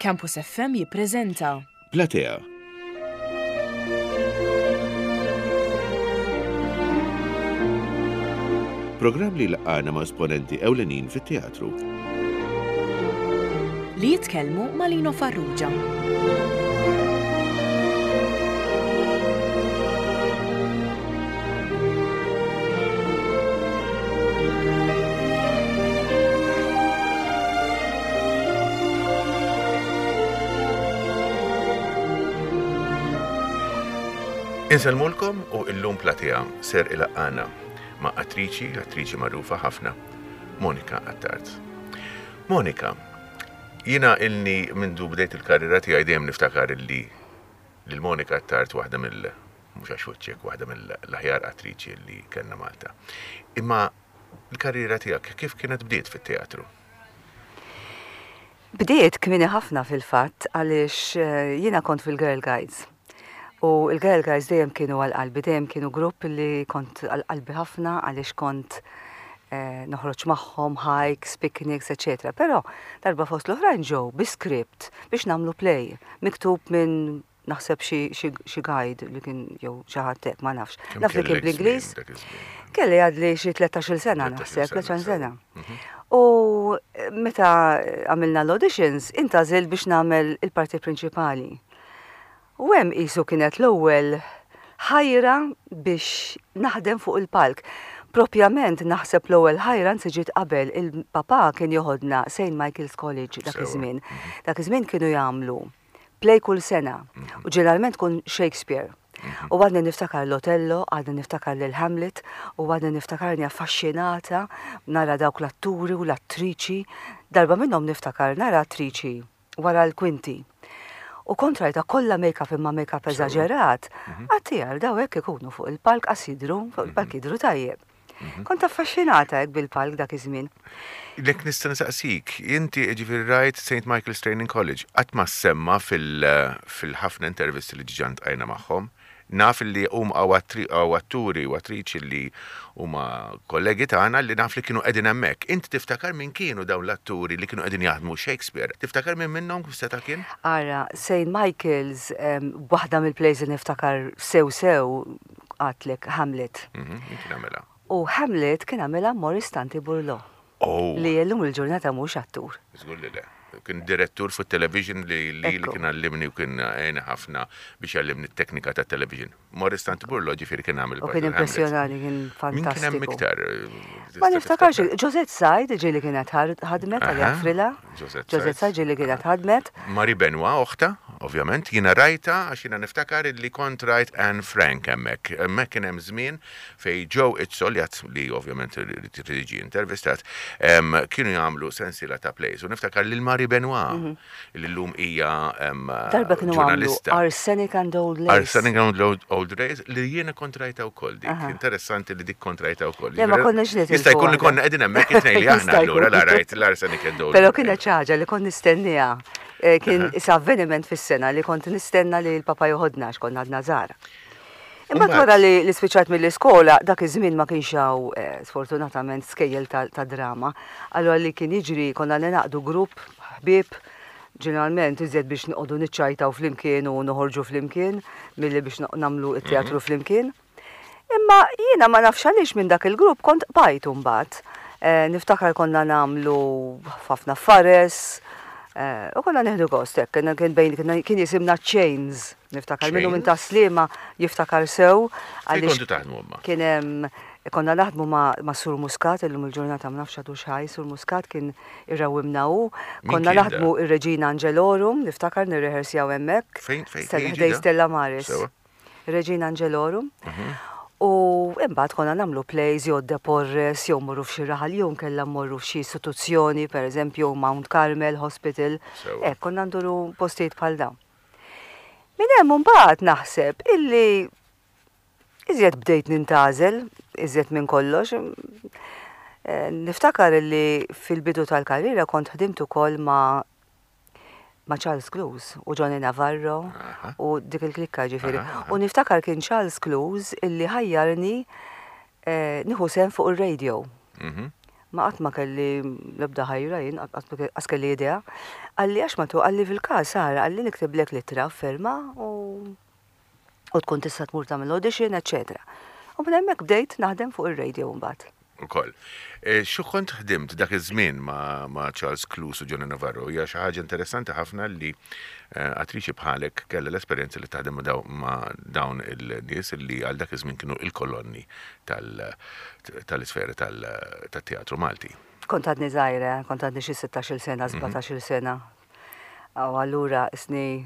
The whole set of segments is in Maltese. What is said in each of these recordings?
Campus FM jippreżenta. Platea. Programm li jlaqqagħna ma' esponenti ewlenin fit-teatru. Li jitkellmu ma' Lino Farrugia. Insellmulkom u illum Platea ser ilaqqana ma' attriċi, attriċi magħrufa ħafna, Monica Attard. Monica, jiena ilni mindu bdejt il-karriera tiegħi dejjem niftakar illi lil Monica Attard waħda mill mhux għax wiċċek, waħda mill-aħjar attriċi li kellna Malta. Imma l-karriera tiegħek kif kienet bdiet fit-teatru? Bdiet kmieni ħafna fil-fatt għaliex eh, jiena kont fil-Girl Guides. U l-Girl Guides dejjem kienu għal qalbi, dejjem kienu grupp li kont għal qalbi ħafna għaliex kont eh, noħroġ magħhom, hikes, picnics, eccetera. Però darba fost l-oħrajn ġew bi script biex nagħmlu play miktub minn naħseb xi guide li kien jew xi ħadd hekk ma nafx. Naf li kien bl-Ingliż. Kelli għadli xi 13-il sena naħseb, 13 sena. Mhm. U eh, meta għamilna l-auditions, intażil biex nagħmel il-parti prinċipali. U hemm qisu kienet l-ewwel ħajra biex naħdem fuq il-palk. Propjament naħseb l-ewwel ħajra anzi ġiet qabel il-papa kien joħodna St. Michael's College dak iż-żmien. Mhm. Dak iż-żmien kienu jagħmlu play kull sena u ġeneralment tkun Shakespeare. U għadni niftakar l-Otello, għadni niftakar lil Hamlet u għadni niftakarni affaxxinata nara dawk l-atturi u l-attriċi. Darba minnhom niftakar nara attriċi wara l-kwinti. U kont rajta kollha make-up imma make-up eżaġerat, mhm. għattijar daw hekk ikunu fuq il-palk qas jidhru, fuq il-palk mhm. jidhru tajjeb. Mhm. Kont affaxxinata hekk bil-palk dak iż-żmien. Lek nista' nsaqsik, inti ġifieri rajt St. Michael's Training College, qatt ma semma fil-ħafna intervisti li ġiġa ntqajna magħhom. Naf li hum hawn atturi u attriċi li huma kollegi tagħna li naf li kienu qegħdin hemmhekk. Inti tiftakar min kienu dawn l-atturi li kienu qegħdin jaħdmu Shakespeare? Tiftakar min minnhom kif seta' kien? Ara, St. Michael's, waħda mill-plays li niftakar sew sew għadtlek Hamlet. Mhm, min kien għamilha? U Hamlet kien għamilha Maurice Tanti Burlò. Oh. Li llum il-ġurnata mhux attur. Żgur li le. Kien direttur fuq television li li kien għallimni u kien għeni ħafna biex jgħallimni t-teknika ta' television. Maurice Tanti Burlò ġifieri kien għamel. U kien impressjonani, kien fantastiku. Min kien hemm iktar? Ma niftakarx, Josette Said ġieli kienet ħadmet għal Frila. Josette Said ġieli kienet ħadmet. Marie Benoit oħtha, ovvjament, jiena rajtha għax jiena niftakar illi kont rajt Anne Frank hemmhekk. Hemmhekk kien hemm żmien fejn Joe Izzo, li għad li ovvjament irid jiġi intervistat, kienu jagħmlu sensiela ta' plays u niftakar lil Marie Benoit li llum hija Darba kienu għamlu Arsenic and Old Lace. Arsenic and Old Lace li jiena kont rajtha wkoll dik. Interessanti li dik kont rajtha wkoll. Le ma konniex nitilfu. Jista' jkun li konna qegħdin hemmhekk it-tnejn li aħna allura la rajt l-Arsenic and Old Però kienet xi ħaġa li kont nistenniha. Eh, kien isa avveniment fis-sena li kont nistenna li l-papa joħodna għax konna għadna żgħar. Imbagħad wara li li spiċċajt mill-iskola, dak iż-żmien ma kienx hawn eh, sfortunatament skejjel ta' drama. Allura li kien jiġri konna ningħaqdu grupp ħbieb ġeneralment iżjed biex noqogħdu niċċajtaw flimkien u noħorġu flimkien milli biex nagħmlu t-teatru mhm. flimkien. Imma jiena ma nafx għaliex minn dak il-grupp kont qbajt imbagħad. Eh, niftakar konna nagħmlu ħafna fares, eh, u konna nieħdu gost hekk, kien bejn kien jisimna Chains, niftakar minnu minn ta' Sliema jiftakar sew. Għaliex kontu taħdmu imma? Kien hemm konna naħdmu ma' Sur Muscat, illum il-ġurnata ma nafx għadux ħaj, Sur Muscat kien irrawwimna hu. Konna naħdmu ir-Reġina Angelorum, niftakar nirrehersjaw hemmhekk. Fejn fejn? Ħdej Stella Maris. Regina Angelorum. U imbagħad konna nagħmlu plays jew De Porres jew mmorru f'xi raħal jew nkella mmorru f'xi istituzzjoni, pereżempju Mount Carmel Hospital. Hekk konna nduru postijiet bħal dawn. Minn hemm imbagħad naħseb illi iżjed bdejt nintgħażel iżjed minn kollox. Eh, niftakar illi fil-bidu tal-karriera kont ħdimt ukoll ma' ma' Charles Clues u Johnny Navarro u dik il-klikka ġifieri. U niftakar kien Charles Clues illi ħajjarni eh, nieħu sehem fuq ir-radio. Mhm. Ma qatt ma kelli l-ebda ħajra jien, qatt kelli idea. Qalli għax ma tu, qalli fil-każ ara, qalli niktiblek l-ittra ferma u u tkun tista' tmur tagħmel audition, eċċetera. U minn hemmhekk bdejt naħdem fuq ir-radio mbagħad. Ukoll. E, xi kont ħdimt dak iż-żmien ma', ma Charles Cluse u Johnny Navarro hija xi ħaġa interessanti ħafna li eh, attriċi bħalek kellha l-esperjenza li taħdem ma' dawn il-nies li għal dak iż-żmien kienu il-kolonni tal-isfera tat-teatru Malti. Kont għadni żgħira, kont għadni xi 16-il sena, 17-il mhm. sena. U allura isni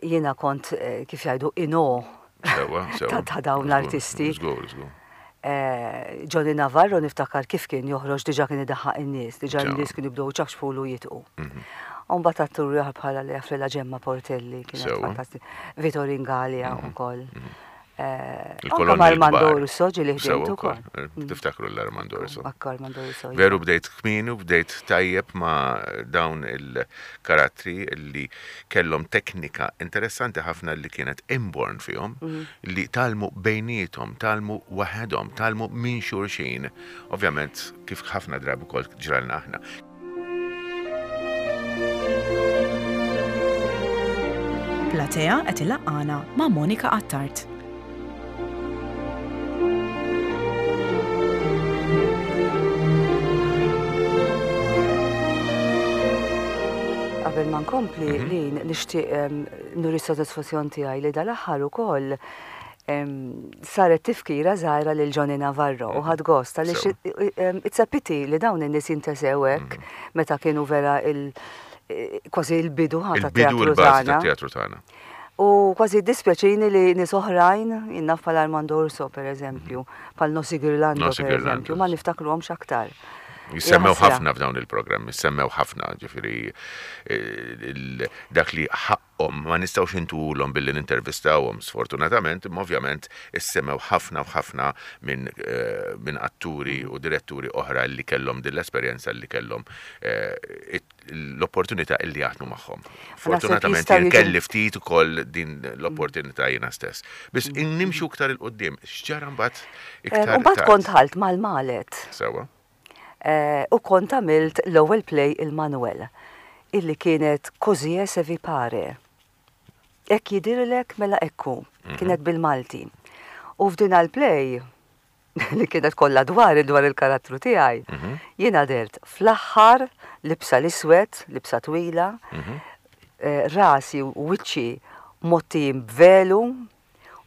jiena kont eh, kif jgħidu ino ta' dawn l-artisti. Żgur, żgur. Eh, Johnny Navarro niftakar kif kien joħroġ diġa kien idaħħaq in-nies, diġa n-nies kienu jibdew ċafxfulu jitqu. Mhm. Umbat attur ieħor bħala li Frella Ġemma Portelli kienet fantastika. Vito Ringalia mhm. ukoll. Mhm. Eh, Il-kolonni Armando Urso ġili ħdimt ukoll. Eh, mm. Tiftakru l-Armando Urso. Armando Urso. Veru bdejt kmin u bdejt tajjeb ma' dawn il-karattri li kellhom teknika interessanti ħafna li kienet inborn fihom, mm. li talmu bejnietom, talmu waħedhom, talmu minn xulxin. Ovvjament, kif ħafna drabi kol ġralna aħna. Platea qed ilaqqana ma' Monica Attard. Qabel ma nkompli mhm. li nixtieq nuri s-sodisfazzjon tiegħi li dal-aħħar ukoll saret tifkira żgħira lil Johnny Navarro u ħadt gost għaliex it's a pity li dawn in-nies jintesew hekk mm. meta kienu vera il kważi il-bidu ħa teatru tagħna. U kważi dispjaċini li nies oħrajn, jinnaf bħal Armando Urso per eżempju, bħal Nossi Girlando per eżempju, ma niftakruhomx aktar. Jissemmew ħafna f'dawn il-programmi, jissemmew ħafna, ġifieri eh, dak li ħaqqhom ma nistgħux intuhulhom billi nintervistawhom sfortunatament, imma ovvjament issemmew ħafna u ħafna minn eh, min atturi u diretturi oħra li kellhom din l-esperjenza li kellhom eh, l-opportunità illi jaħdmu magħhom. Fortunatament jien kelli ftit ukoll din l-opportunità jiena stess. Biss mm. nimxu iktar il-qudiem, x'ġara mbagħad eh, iktar. Mbagħad kont ħalt mal-malet. Sewa. U kont għamilt l-ewwel play il-Manuel, illi kienet Così è se vi pare. Hekk jidhirlek mela hekk hu. Kienet bil-Malti. U f'din għall-play, li kienet kollha dwari, dwar il-karattru tiegħi, jiena dhert fl-aħħar libsa l-iswed, libsa twila, rasi u wiċċi mgħottijin b'velu,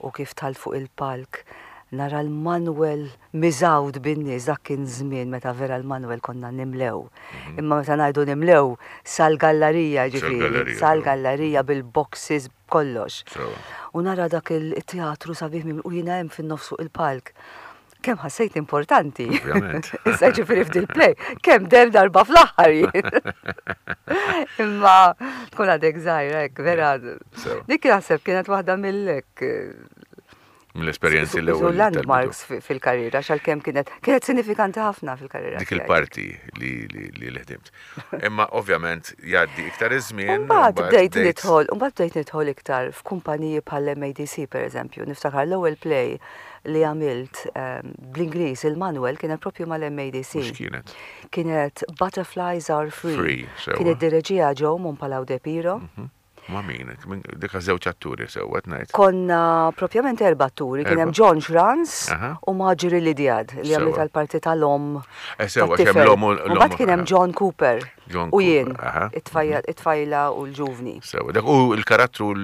U kif dħalt fuq il-palk nara l-Manwel miżgħud bin-nies, dak kien żmien meta vera l-Manwel konna nimlew. Mhm. Imma meta ngħidu nimlew sal-gallarija ġifieri, sal-gallarija bil-boxes kollox. U nara dak il-teatru sabiħ u jiena hemm fin-nofs fuq il-palk. Kemm ħassejt importanti. Issa ġifieri f'dil play, kemm der darba fl-aħħar jien. Imma tkun għadek żgħira hekk vera. Dik naħseb kienet waħda mill-hekk mill-esperjenzi l-ewwel. Landmarks fil-karriera, xalkemm kienet kienet sinifikanti ħafna fil-karriera. Dik il-parti li li ħdimt. Imma ovvjament jgħaddi iktar iż-żmien. Mbagħad bdejt nidħol, mbagħad bdejt nidħol iktar f'kumpaniji bħal MADC pereżempju. Niftakar l-ewwel play li għamilt ehm, bl-Ingliż il-Manuel kienet propju mal-MADC. Kienet? Kienet Butterflies Are Free. Free kienet direġija Joe Monpalau de Piro. Mhm. Ma min, dik żewġ atturi sewwa ngħid. Konna propjament erba' atturi, kien hemm John Schranz u Marjorie Lydiard li għamlet għall-parti tal-omm. Eh, sewwa kemm l-omm u mbagħad kien hemm John Cooper u jien, it-tfajla u l-ġuvni. Sewwa, dak u l-karattru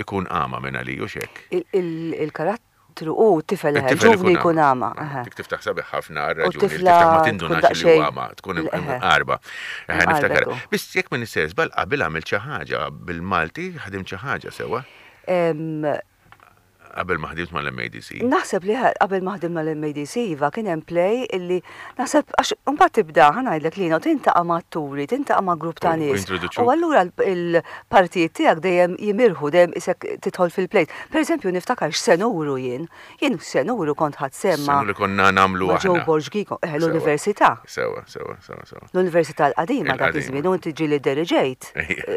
ikun għama minn għaliju xek. Il-karattru u t-tifel ġuvni jkun għama. Dik tiftaħ sabiħ ħafna għar-raġuni. Tiftaħ ma tindunax li għama, tkun qarba. Niftakar. Biss jekk minn istess bal qabel għamilt xi ħaġa bil-Malti, ħdimt xi ħaġa sewwa. Qabel ma ħdimt mal-MADC. Naħseb li qabel ma ħdimt mal-MADC iva kien hemm play illi naħseb għax imbagħad tibda ħa ngħidlek Lino tintaqa' ma' atturi, tintaqa' ma' grupp ta' nies. U allura l-partijiet tiegħek dejjem jimirħu, dejjem isek tidħol fil-play. Per eżempju niftakar x'senuru jien. Jien x'senuru kont ħadt sehem ma' Senuru li konna nagħmlu aħna. Ma' Joe Borg Ghigo, eh, l-università. Sewwa, sewwa, sewwa, sewwa. L-università l-qadima dak iż-żmien u inti ġieli dderiġejt.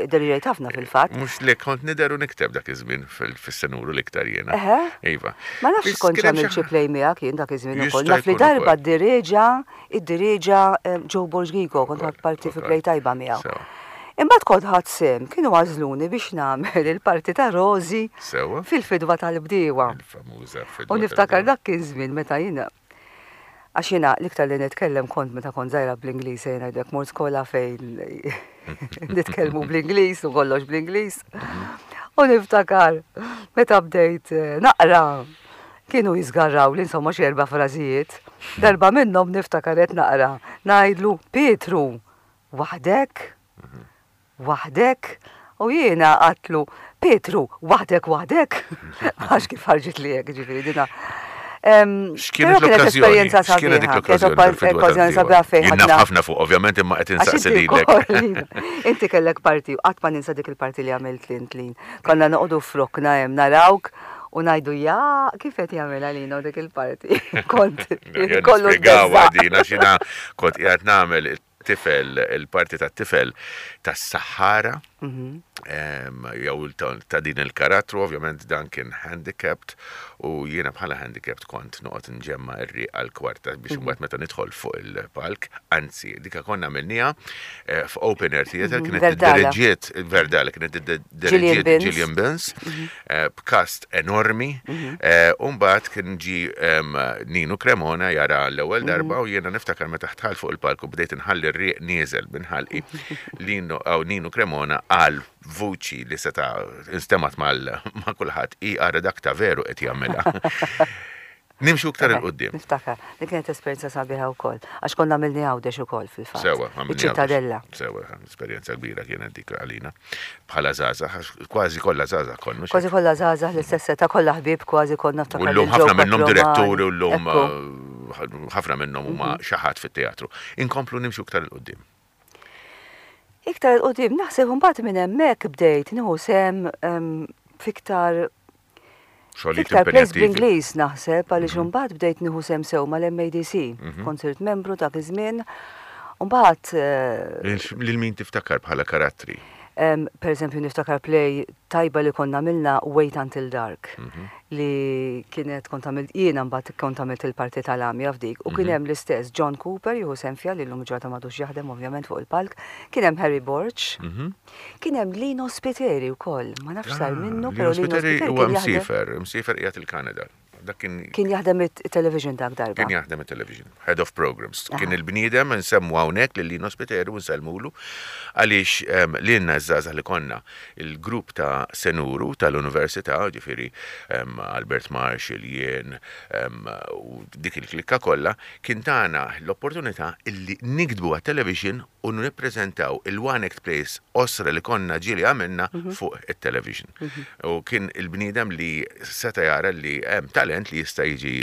Dderiġejt ħafna fil-fatt. Mhux le kont nidher u nikteb dak iż-żmien fis-senuru l-iktar jiena. Eħe. Iva. Ma nafx kont għamilt xi play miegħek jien dak iż-żmien ukoll. Naf li darba ddireġa, iddireġa Joe Borg Gigo, kont ħadt parti fi play tajba miegħu. Imbagħad kont ħadt sehem, kienu għażluni biex nagħmel il-parti ta' Rosie fil-fidwa tal-bdiewa. U niftakar dak kien żmien meta jiena Għax jiena l-iktar li nitkellem kont meta kont żgħira bl-Ingliż, ejja ngħidlek mort skola fejn nitkellmu bl-Ingliż u kollox bl-Ingliż. U niftakar meta bdejt eh, naqra kienu jizgarraw li insomma xi erba' frażijiet. Darba minnhom niftakar qed naqra ngħidlu Pietru waħdek? Waħdek? U jiena għadtlu, Pietru, waħdek waħdek? Għax kif ħarġit li hekk, ġifieri dina. X'kienet l-okkażjoni? X'kienet dik l-okkażjoni sabiħa fejn ħadna. ħafna fuq, ovvjament imma qed insaqsi lilek. Inti kellek parti, qatt ma ninsa dik il-parti li għamilt lint lin. Konna noqogħdu frokna hemm narawk u ngħidu ja kif qed jagħmilha lina dik il-parti. Kont kollu. Din għax jiena kont qiegħed nagħmel tifel, il-parti tat-tifel tas-saħħara, jew ta' din il-karattru, ovvjament dan kien handicapped u jiena bħala handicapped kont noqgħod nġemma r-riq għall-kwarta biex imbagħad meta nidħol fuq il-palk, anzi dika konna għamilniha eh, f'open air theater kienet iddiriġiet Verdala kienet iddiriġiet Gillian Binns eh, b'kast enormi eh, u mbagħad kien ġi Ninu Cremona jara l-ewwel darba u jiena niftakar meta ħtħal fuq il-palk u bdejt inħalli r-riq nieżel minn ħalqi Lino aw Ninu Cremona qal vuċi li seta' instemgħet ma' kulħadd i ara dak ta' veru qed jagħmilha. Nimxu iktar 'il quddiem. Niftakar, dik kienet esperjenza sabiħa wkoll, għax konna għamilni Għawdex ukoll fil-fatt. Sewwa, għamilni Għawdex. Iċ-Ċittadella. Sewwa, esperjenza kbira kienet dik għalina. Bħala żgħażagħ, għax kważi kollha żgħażagħ konna. Kważi kollha żgħażagħ, l-istess età, kollha ħbieb kważi konna niftakar. U llum ħafna minnhom diretturi u llum ħafna minnhom huma xi ħadd fit-teatru. Inkomplu nimxu iktar 'il quddiem. Iktar 'il quddiem, naħseb imbagħad minn hemmhekk bdejt nieħu sehem f'iktar Xogħlijiet Iktar plays impenjattivi. bl-Ingliż naħseb għaliex imbagħad bdejt nieħu sehem sew mal-MADC. Kont sirt membru dak iż-żmien. U mbagħad Lil lil min tiftakar bħala karattri? Per eżempju niftakar play tajba li konna għamilna Wait Until Dark li kienet kont għamilt jiena mbagħad kont għamilt il-parti tal-għamja f'dik u kien hemm l-istess John Cooper jieħu sehem fiha li llum il-ġurnata m'għadux jaħdem ovvjament fuq il-palk, kien hemm Harry Borg, Kien hemm Lino Spiteri wkoll, ma nafx sar minnu, però Lino Spiteri huwa msiefer, msiefer qiegħed il-Kanada. Dak kien Kien jaħdem it-television dak darba. Kien jaħdem it-television, head of programs. Kien il-bniedem nsemmu hawnhekk lil Lino Spiteri u nsellmulu għaliex ehm, lilna ż-żgħażagħ li konna il-grupp ta' Senuru tal-Università, ġifieri ehm, Albert Marshall, jien ehm, u dik il-klikka kollha, kien tana l-opportunità illi niktbu għat-television u nippreżentaw il-one act plays qosra li konna ġieli għamilna fuq it-television. U kien il-bniedem li seta' jara li hemm talent li jista' jiġi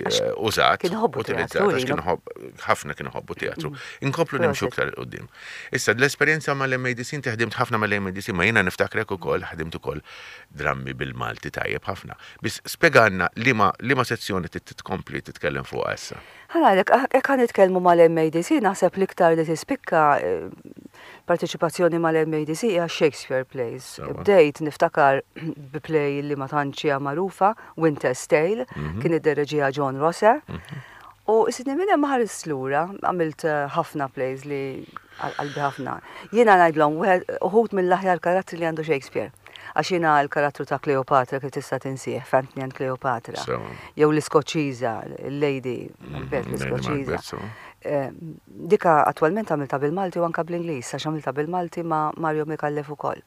użat, utilizzat, għax kien ħafna kienu ħobbu teatru. Inkomplu nimxu iktar 'il quddiem. Issa l-esperjenza mal-MADC, inti ħdimt ħafna mal-MADC, ma jiena niftakrek ukoll ħdimt ukoll drammi bil-Malti tajjeb ħafna. Biss spjegalna liema sezzjoni trid tkompli titkellem fuqha issa. Ħa ngħidlek, hekk ħa nitkellmu mal-MADC, naħseb l-iktar li tispikka parteċipazzjoni mal-MADC hija Shakespeare plays. Bdejt niftakar bi play li ma tantx hija magħrufa, Winter's Tale, kien iddereġiha John Rosser. U isni minn hemm ħarist lura, għamilt ħafna plays li għal qalbi ħafna. Jiena ngħidlhom uħud mill-aħjar karattri li għandu Shakespeare. Għax jiena l-karattru ta' Cleopatra kif tista' tinsih, f'Antony and Cleopatra. Jew l-Iskoċċiża, il-Lady Macbeth l-Iskoċċiża. Eh, dika attwalment għamilta bil-Malti u anka bl-Ingliż, għax għamilta bil-Malti ma' Mario Micallef ukoll.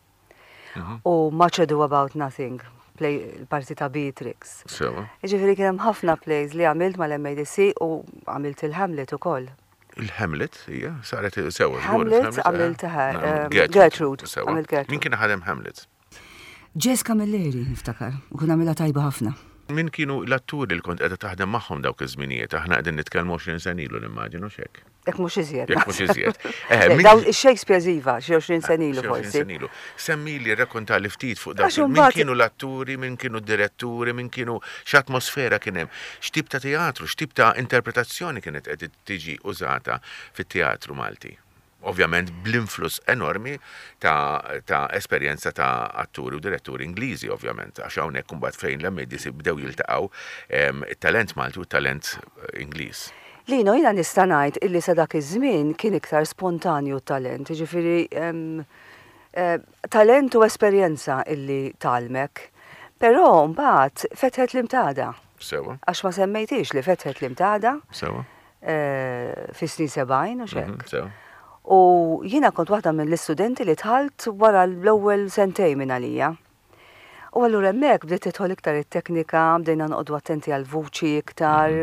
Mhm. U Much Ado About Nothing, play il-parti ta' Beatrix. Ġifieri kien hemm ħafna plays li għamilt mal-MADC u għamilt il-Hamlet ukoll. Il-Hamlet, hija, saret sewa. Hamlet għamilt Gertrude. Għamilt Min kien ħadem Hamlet? Jess Camilleri, niftakar, u kien għamilha tajba ħafna. Min kienu l-atturi li kont qiegħda taħdem magħhom dawk iż-żminijiet? Aħna qegħdin nitkellmu 20 sena ilu nimmaġinu x'hekk. Jekk mhux iżjed. Jekk mhux iżjed. Eh, dawn ix-Shakespeare iva, xi 20 sena ilu forsi. 20 sena ilu. Semmili, rrakkontali ftit fuq dawk. Min kienu l-atturi, min kienu d-diretturi, min kienu x'atmosfera kien hemm, x'tip ta' teatru, x'tip ta' interpretazzjoni kienet qed tiġi użata fit-teatru Malti. Ovvjament bl-influss enormi ta', ta esperjenza ta' atturi u diretturi Ingliżi, ovvjament, għax hawnhekk imbagħad fejn l-MADC bdew jiltaqgħu it-talent Malti u t-talent Ingliż. Lino, jiena nista' ngħid illi sa dak iż-żmien kien iktar spontanju t-talent, jiġifieri talent u esperjenza illi tgħallmek. Però mbagħad fetħet l-imtada. Sewwa. Għax ma semmejtix li fetħet l-imtada. Sewwa. Fis-snin 70 u x'hekk. U jiena kont waħda mill-istudenti li dħalt wara l-ewwel sentejn minn għalija. U allura hemmhekk bdiet tidħol iktar it-teknika, bdejna noqogħdu attenti għall-vuċi iktar.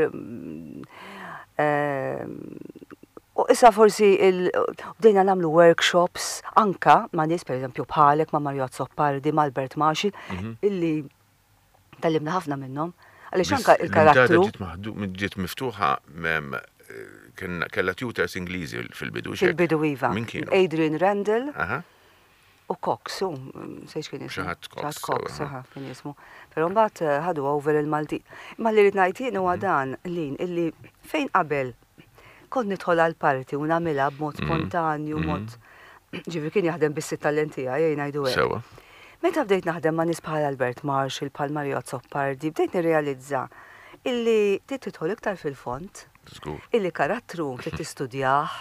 U issa forsi bdejna nagħmlu workshops anka ma' nies pereżempju bħalek ma' Mario Azzopardi, ma' Albert Maxi, illi tgħallimna ħafna minnhom. Għaliex anka il-karattru. Ġiet miftuħa kellha tutors Ingliżi fil-bidu. Fil-bidu iva. Min kienu? Adrian Randall. U Cox, u sejx kien ismu. Xi ħadd Cox. Cox, kien ismu. Però mbagħad eh, ħadu over il-Malti. Imma li rrid ngħid jien huwa mhm. dan lin illi fejn qabel kont nidħol għal parti u nagħmilha b'mod mhm. spontanju, mhm. mod ġifieri kien jaħdem biss it-talent tiegħi jgħin ngħidu hekk. Sewa. Meta bdejt naħdem ma' nies bħal Albert Marshall, bħal Mario Azzopardi, bdejt nirrealizza illi trid tidħol iktar fil-fond. Illi karattru trid tistudjah,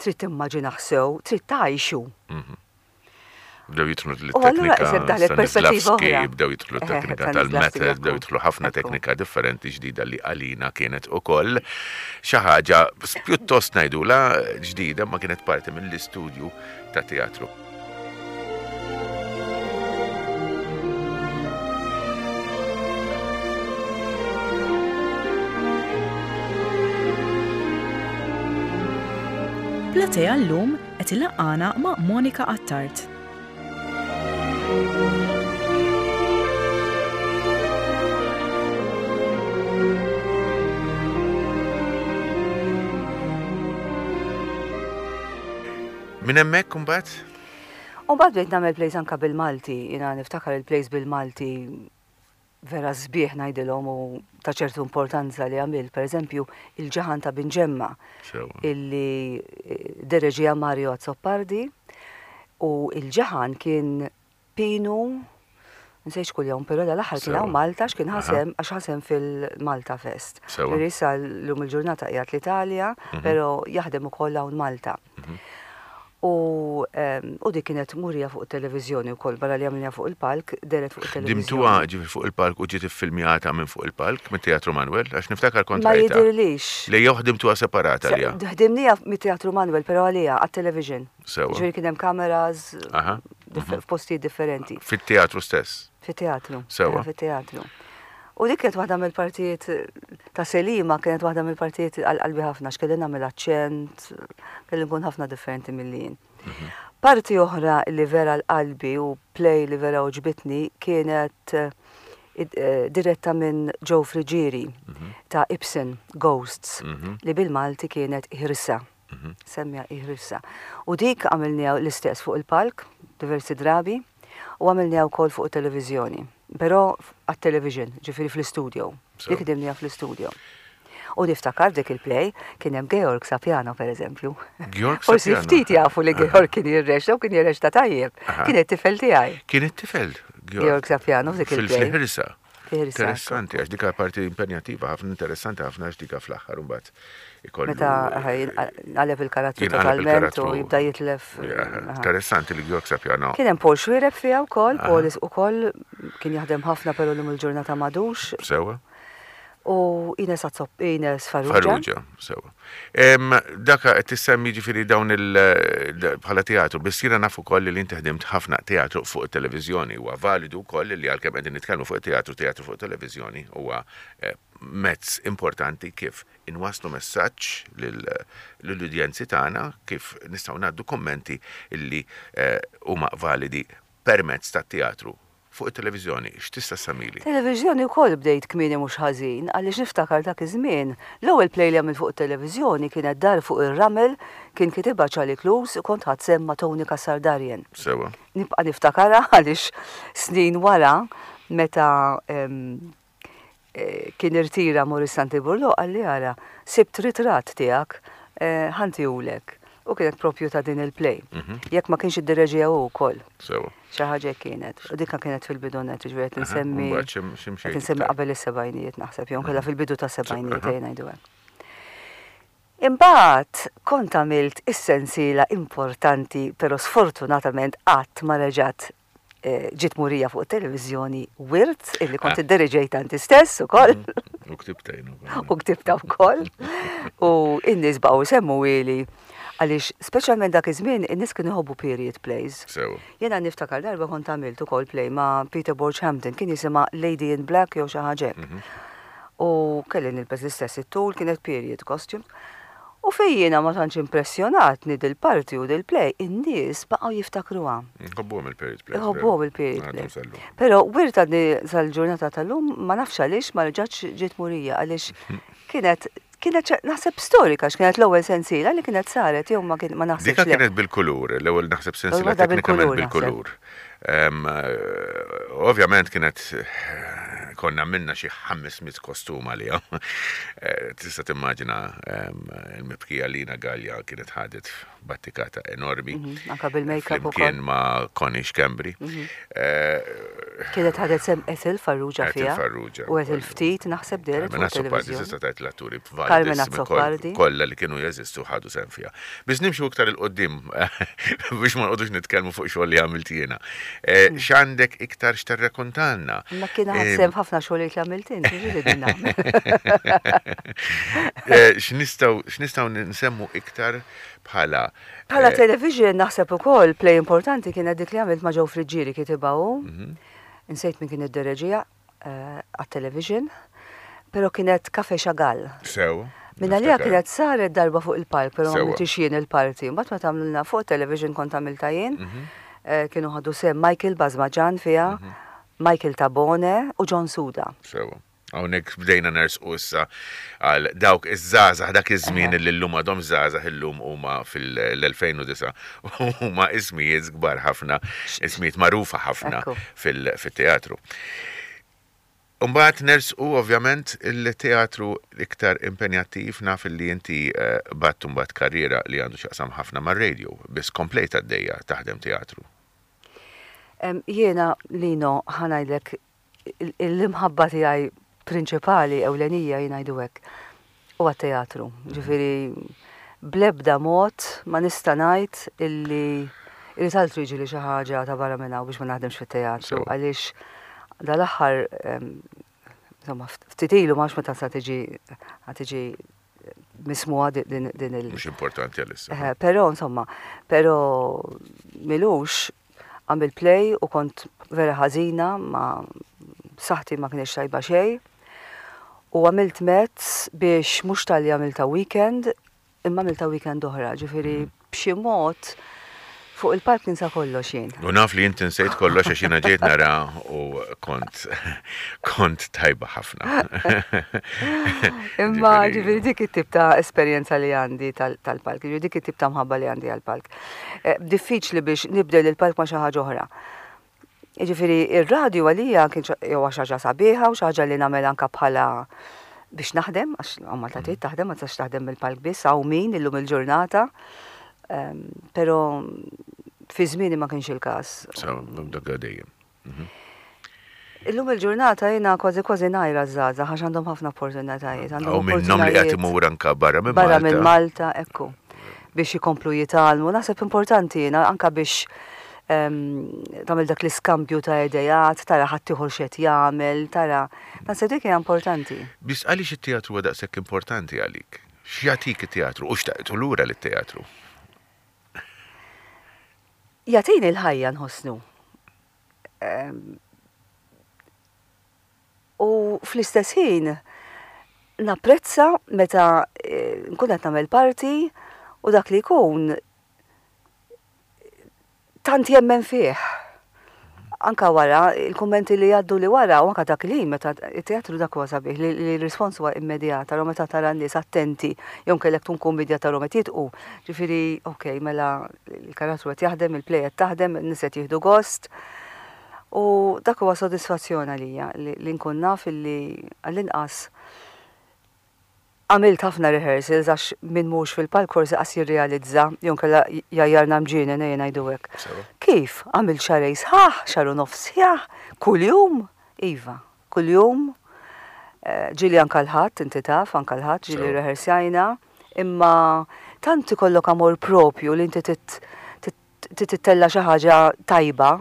trid timmaġinah sew, trid tgħixu. Mhm. Bdew jidħlu l-teknika Stanislavski, bdew jidħlu t-teknika tal-method, bdew jidħlu ħafna teknika differenti ġdida li għalina kienet ukoll xi ħaġa pjuttost ngħidula ġdida ma kienet parti mill-istudju ta' teatru. Platea llum qed ilaqqana ma' Monica Attard. Minn hemmhekk imbagħad? U mbagħad bdejt nagħmel plays anka bil-Malti, jiena niftakar il-plays bil-Malti vera sbieħ ngħidilhom u ta' ċertu importanza li għamilt, pereżempju il-Ġaħan ta' Binġemma illi eh, dereġija Mario Azzopardi u il-Ġaħan kien Pinu, nsejt x'kuljom, però dal-aħħar kien hawn Malta għax kien ħa sehem għax ħa sehem fil-Malta Fest. Ġifieri issa llum il-ġurnata qiegħed l-Italja, però jaħdem ukoll hawn Malta. U u dik kienet murija fuq it-televiżjoni wkoll barra li għamilniha fuq il-palk, dehret fuq it-televiżjoni. Ħdimtuha ġifieri fuq il-palk u ġiet iffilmjata minn fuq il-palk mit-Teatru Manuel? Għax niftakar kont Ma rajtha. jidhirlix. Le jew ħdimtuha separata għaliha? Ħdimniha mit-Teatru Manuel però għaliha għat-television. Sewa. Ġifieri kien hemm cameras f'postijiet differenti. Fit-teatru stess? Fit-teatru. Sewa. Fit-teatru. U dik kienet waħda mill-partijiet ta' Selima, kienet waħda mill-partijiet għal qalbi ħafna, x'kelli nagħmel aċċent, kelli nkun ħafna differenti milli jien. Mhm. Parti oħra li vera l-qalbi u play li vera uġbitni kienet eh, eh, diretta minn Joe Frigieri mhm. ta' Ibsen Ghosts mhm. li bil-Malti kienet Ħirsa. Semmija Iħrissa. U dik għamilniha l-istess fuq il-palk diversi drabi u għamilniha wkoll fuq it-televiżjoni. Però għat-television, ġifieri fl-istudio. Dik ħdimniha fl-istudio. U niftakar dik il-play kien hemm Georg Sapiano pereżempju. Georg Forsi ftit jafu li Georg kien jirrexta u kien jirrexta tajjeb. Kien it-tifel tiegħi. Kien it-tifel Georg Sapiano f'dik il-play. Fil-ħirsa. Interessanti, għax dika parti impenjattiva, ħafna interessanti ħafna għax dika fl-aħħar mbagħad ikollu. Meta jinqaleb il-karattru totalment u jibda jitlef. Interessanti li Georg Sapiano. Kien hemm Paul Xuereb fiha wkoll, Paul ukoll kien jaħdem ħafna però llum il-ġurnata m'għadux. Sewa. U Ines Azzop, Ines Farrugia. Farrugia, sewa. Daka qed tissemmi ġifieri dawn il bħala teatru, biss jiena naf ukoll li inti ħdimt ħafna teatru fuq it-televiżjoni. Huwa validu wkoll li għalkemm qegħdin nitkellmu fuq it-teatru, teatru fuq it-televiżjoni huwa eh, mezz importanti kif inwasslu messaġġ lill-udjenzi tagħna, kif nistgħu ngħaddu kummenti illi eh, huma validi permezz tat-teatru Fuq it-televiżjoni, x'tista' ssemmili? Televiżjoni wkoll bdejt kmieni mhux ħażin għaliex niftakar dak iż-żmien, l-ewwel play li għamilt fuq it-televiżjoni kienet Dar fuq ir-Ramel, kien kitibha Charlie Clews u kont ħadt sehem ma' Tony Cassar Darien. Sewwa. Nibqa' niftakarha għaliex snin wara meta kien irtira Maurice Santi Burlo qalli ara, sibt ritratt tiegħek, ħa ntihulek. U kienet propju ta' din il-play. Jekk ma kienx iddereġiha hu wkoll. Sewa. Xi ħaġa hekk kienet. U dikka kienet fil-bidu net, ġifieri qed insemmi. Mbagħad xi Qed insemmi qabel is-sebgħinijiet naħseb, jew inkella fil-bidu tas-sebgħinijiet ejja ngħidu hekk. Imbagħad kont għamilt is-sensiela importanti però sfortunatament qatt ma reġgħet ġiet murija fuq it-televiżjoni Wirt illi kont ah. idderiġejtha inti stess ukoll. Mhm. U ktibta jien ukoll. U ktibta wkoll. U n-nies baqgħu jsemmu ili għaliex speċjalment dak iż-żmien in-nies kienu jħobbu period plays. Sewa. Jiena niftakar darba kont għamilt ukoll play ma' Peter Borg Hampton kien jisimha Lady in Black jew xi ħaġa hekk. Mhm. U kelli nilbes l-istess it-tul kienet period costume. U fejn jiena ma tantx impressjonatni dil-parti u dil-play, in-nies baqgħu jiftakruha. Iħobbuhom il-period plays. Iħobbuhom il-period plays. Però wirt għadni sal-ġurnata tal-lum ma nafx għaliex ma reġgħatx ġiet murija għaliex kienet kienet naħseb storika x'kienet l-ewwel sensiela li kienet saret jew ma kien ma naħsibx. Dika kienet bil-kulur, l-ewwel naħseb sensiela teknikament bil-kulur. Ovvjament kienet konna minna xi 500 kostum għaliha. Eh, tista' timmaġina il-mibkija Lina Gallia kienet ħadet battikata enormi. Mhm, anka bil-makeup ukoll. Kien ma' Connie Schembri. Mhm. Eh, kienet ħadet sem Ethel Farrugia fiha. Ethel Farrugia. U Ethel ftit naħseb dehret fuq televizjoni. Tista' tgħid l-atturi Carmen Azzopardi. Kollha li kienu jeżistu ħadu sehem fiha. Biss nimxu iktar 'il quddiem biex ma nqogħdux nitkellmu fuq xogħol li għamilt jiena. Eh, hmm. X'għandek iktar x'tirrekontalna? Ma kien ħadd sehem ħafna xogħlijiet li għamilt inti, ġieli nagħmel. Eh, x'nistgħu x'nistgħu nsemmu iktar bħala Bħala eh, television naħseb ukoll play importanti kienet dik li għamilt ma' Joe Friggieri kitibha hu. Mhm. Insejt min kien id-dereġija. għat-television, pero kienet Cafe Chagall. Sew. Minna li kienet saret darba fuq il-palk, pero ma għamiltix jien il-parti. Mbagħad meta għamlulna fuq television kont għamilta jien. Mhm. Eh, kienu ħadu sem Michael Bazmaġan fiha, mhm. Michael Tabone u John Suda. Sewa. Hawnhekk bdejna nersqu issa għal dawk iż-żgħażagħ dak iż-żmien li llum għadhom żgħażagħ illum huma fil-2009 huma ismijiet kbar ħafna, ismijiet magħrufa ħafna fil-teatru. Mbagħad nersqu ovvjament il-teatru iktar impenjattiv naf li inti eh, batt mbagħad karriera li għandu x'jaqsam ħafna mar-radio, biss komplejt għaddejja taħdem teatru. Jiena Lino ħa ngħidlek l-imħabba tiegħi prinċipali ewlenija jien ngħidu hekk huwa t-teatru. Ġifieri bl-ebda mod ma nista' ngħid illi irid altru jiġri xi ħaġa ta' barra minn hawn biex ma naħdimx fit-teatru għaliex dal-aħħar insomma ftit ilu ma nafx meta sa tiġi tiġi mismuha din il. Mhux importanti għalissa. Però insomma, però milux Għamilt play u kont vera ħażina ma saħħti ma kienx tajba xejn. U għamilt mezz biex mhux talli għamilta weekend, imma għamilta weekend oħra, ġifieri mhm. b'xi mod fuq il-palk ninsa kollox jien. U naf li inti nsejt kollox għax jiena ġejt nara u kont kont tajba ħafna. Imma ġifieri dik it-tip ta' esperjenza li għandi tal-palk, ġifieri dik it-tip ta' mħabba li għandi għall-palk. Eh, diffiċli biex nibdel il-palk ma' xi ħaġa oħra. Jiġifieri ir-radju għalija kien jew xi ħaġa sabiħa u xi ħaġa li nagħmel anke bħala biex naħdem, għax Malta trid mm. taħdem, ma tistax taħdem mill-palk biss, hawn min illum il-ġurnata. Ehm, però fi żmieni ma kienx il-każ. Dak dejjem. Mhm. Illum il-ġurnata jiena kważi kważi ngħajra ż-żgħażagħ għax għandhom ħafna opportunitajiet. Għandhom Hawn minnhom li qed imur anka barra minn Malta. Barra minn Malta, ekku. Biex ikomplu jitgħallmu. Naħseb importanti jiena anka biex ehm, tagħmel dak l-iskambju ta' idejat, tara ħaddieħor x'qed jagħmel, tara. Naħseb dik hija importanti. Biss għaliex it-teatru huwa daqshekk importanti għalik? X'jagħtik it-teatru u x'taqtu lura lit-teatru? Jagħtini l-ħajja nħossnu. U fl-istess ħin napprezza meta eh, nkun qed nagħmel parti u dak li jkun tant jemmen fih. Anka wara, il-kummenti li jgħaddu li wara, u anka dak li meta it-teatru dak huwa sabiħ li l-rispons huwa immedjat, ara meta tara n-nies attenti, jew kellek tkun kumedja ta' meta jitqu. Ġifieri, ok, mela il-karattru qed jaħdem, il-play qed taħdem, in-nies qed jieħdu gost. U dak huwa sodisfazzjon għalija li nkun naf illi għall-inqas. Għamilt ħafna rehearsals għax min mhux fil-palk forsi qas jirrealizza jew inkella jgħajjarna mġienen ejja ngħidu hekk. Kif? Għamilt xahrejn sħaħ, xahar u nofs sħiħ, kuljum? Iva, kuljum. Ġieli anke l-Ħadd, inti taf, anke l-Ħadd ġieli rrehearsjajna, imma tant ikollok amor propju li inti trid ittella' xi ħaġa tajba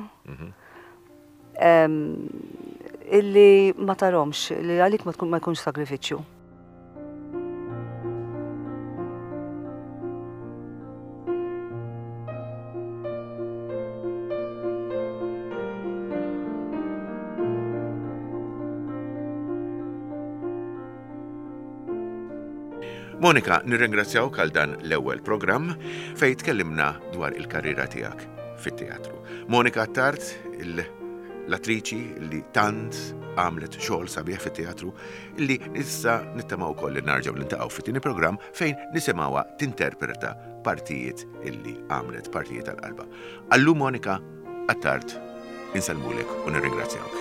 illi ma tarhomx, li għalik ma jkunx sagrifiċċju. Monika, nirringrazzjawk għal dan l-ewwel programm fejn tkellimna dwar il-karriera tiegħek fit-teatru. Monika Attard, l-attriċi li tant għamlet xogħol sabiħ fit-teatru li issa nittamaw ukoll li narġgħu niltaqgħu fit-tieni programm fejn nisimgħuha tinterpreta partijiet illi għamlet partijiet tal-qalba. Allu Monika Attard, insellmulek u nirringrazzjawk.